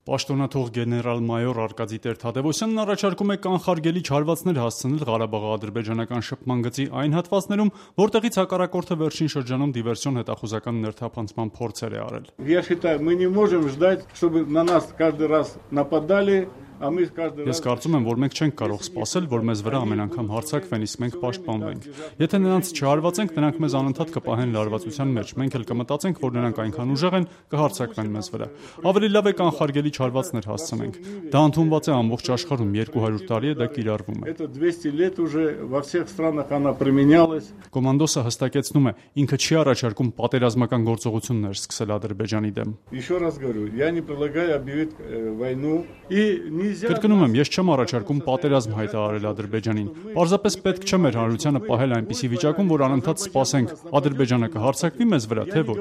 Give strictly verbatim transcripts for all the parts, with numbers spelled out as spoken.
Պաշտոնաթող գեներալ-մայոր Արկադի Տեր-Թադևոսյանն առաջարկում է կանխարգելիչ հարվածներ հասցնել Ղարաբաղի-ադրբեջանական շփման գծի այն հատվածներում, որտեղից հակառակորդը վերջին շրջանում դիվերսիոն հետախուզական ներթափանցման փորձեր է արել։ Я считаю, мы не можем ждать, чтобы на нас каждый раз нападали. Ես կարծում եմ, որ մենք չենք կարող սպասել, որ մեզ վրա ամեն անգամ հարձակվեն, իսկ մենք պաշտպանվենք։ Եթե նրանց չհարվածենք, նրանք մեզ անընդհատ կպահեն լարվածության մեջ։ Մենք էլ կմտածենք, որ նրանք այնքան ուժեղ են, կհարձակվեն մեզ վրա։ Ավելի լավ է կանխարգելիչ հարվածներ հասցնենք։ Դա ընդունված է ամբողջ աշխարհում, երկու հարյուր տարի է դա կիրառվում է։ Կոմանդոսը հստակեցնում է, ինքը չի առաջարկում պատերազմական գործողություններ սկսել Ադրբեջանի դեմ։ Կրկնում եմ, ես չեմ առաջարկում պատերազմ հայտարարել Ադրբեջանին։ Պարզապես պետք չէ մեր հանրությանը պահել այնպիսի վիճակում, որ անընդհատ սպասենք Ադրբեջանը կհարձակվի մեզ վրա, թե ոչ։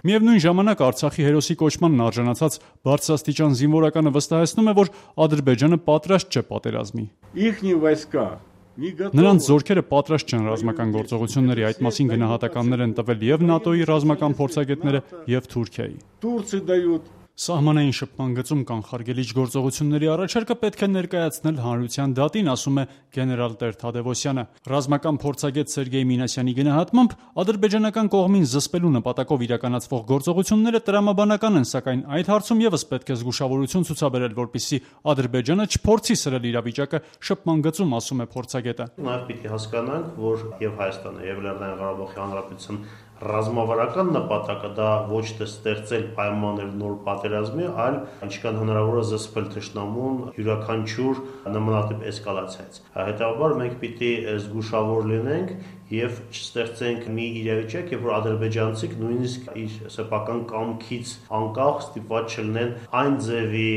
Միևնույն ժամանակ Արցախի հերոսի կոչմանն արժանացած բարձրաստիճան զինվորականը վստահեցնում է, որ Ադրբեջանը պատրաստ չէ պատերազմի։ Նրանց զորքերը պատրաստ չեն ռազմական գործողությունների, այդ մասին գնահատականներ են տվել եւ ՆԱՏՕ-ի ռազմական փորձագետները եւ Թուրքիայի։ Սահմանային շփման գծում կանխարգելիչ գործողությունների առաջարկը պետք է ներկայացնել հանրության դատին, ասում է գեներալ Տեր-Թադևոսյանը։ Ռազմական փորձագետ Սերգեյ Մինասյանի գնահատմամբ ադրբեջանական կողմին զսպելու նպատակով իրականացվող գործողությունները տրամաբանական են, սակայն այդ հարցում եւս պետք է զգուշավորություն ցուցաբերել, որպեսզի Ադրբեջանը չփորձի սրել իրավիճակը շփման գծում, ասում է փորձագետը։ Նաեւ պիտի հասկանանք, որ եւ Հայաստանը եւ Լեռնային Ղարաբաղի Հանրապետություն ռազմավարական նպատակը դա ոչ թե ստեղծել պայմաններ նոր պատերազմի, այլ ինչքան հնարավոր է զսպել թշնամուն յուրաքանչյուր նմանատիպ էսկալացիայից։ Հետևաբար մենք պիտի զգուշավոր լինենք եւ չստեղծենք մի իրավիճակ, երբ որ ադրբեջանցիք նույնիսկ իր սեփական կամքից անկախ ստիպված չլինեն այն ձևի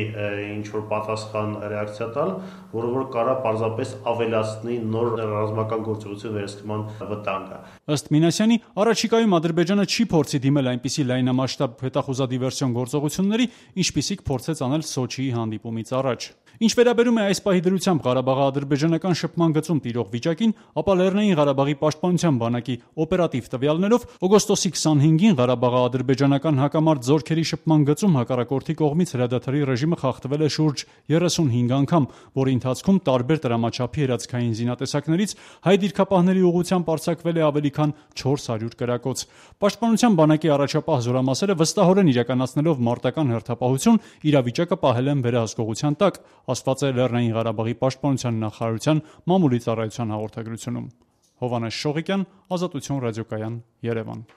ինչ որ պատասխան ռեակցիա տալ, որը որ կարա պարզապես ավելացնի նոր ռազմական գործողություն վերսկման վտանգը։ Ըստ Մինասյանի, առաջիկայում Ադրբեջանը չի փորձի դիմել այնպիսի լայնամասշտաբ հետախուզադիվերսիոն գործողությունների, ինչպիսիք փորձեց անել Սոչիի հանդիպումից առաջ։ Ինչ վերաբերում է այս պահի դրությամբ Ղարաբաղի-ադրբեջանական շփման գծում տիրող վիճակին, ապա Լեռնային Ղարաբաղի պաշտպանության բանակի օպերատիվ տվյալներով օգոստոսի քսանհինգին Ղարաբաղի-ադրբեջանական հակամարտ զորքերի շփման գծում հակառակորդի կողմից հրադադարի ռեժիմը խախտվել է շուրջ երեսունհինգ անգամ, որի ընթացքում տարբեր տրամաչափի հրացքային զինատեսակներից հայ դիրքապահների ուղղությամբ արձակվել է ավելի քան չորս հարյուր կրակոց։ Պաշտպանության բանակի առաջապահ զորամասերը վստահորեն իրականացնելով մարտական հերթապահություն իրավիճակը պահել են վերահսկողության տակ, ասված է Լեռնային Ղարաբաղի պաշտպանության նախարարության մամուլի ծառայության հաղորդագրությունում։ Հովհաննես Շողիկյան, Ազատություն ռադիոկայան, Երևան։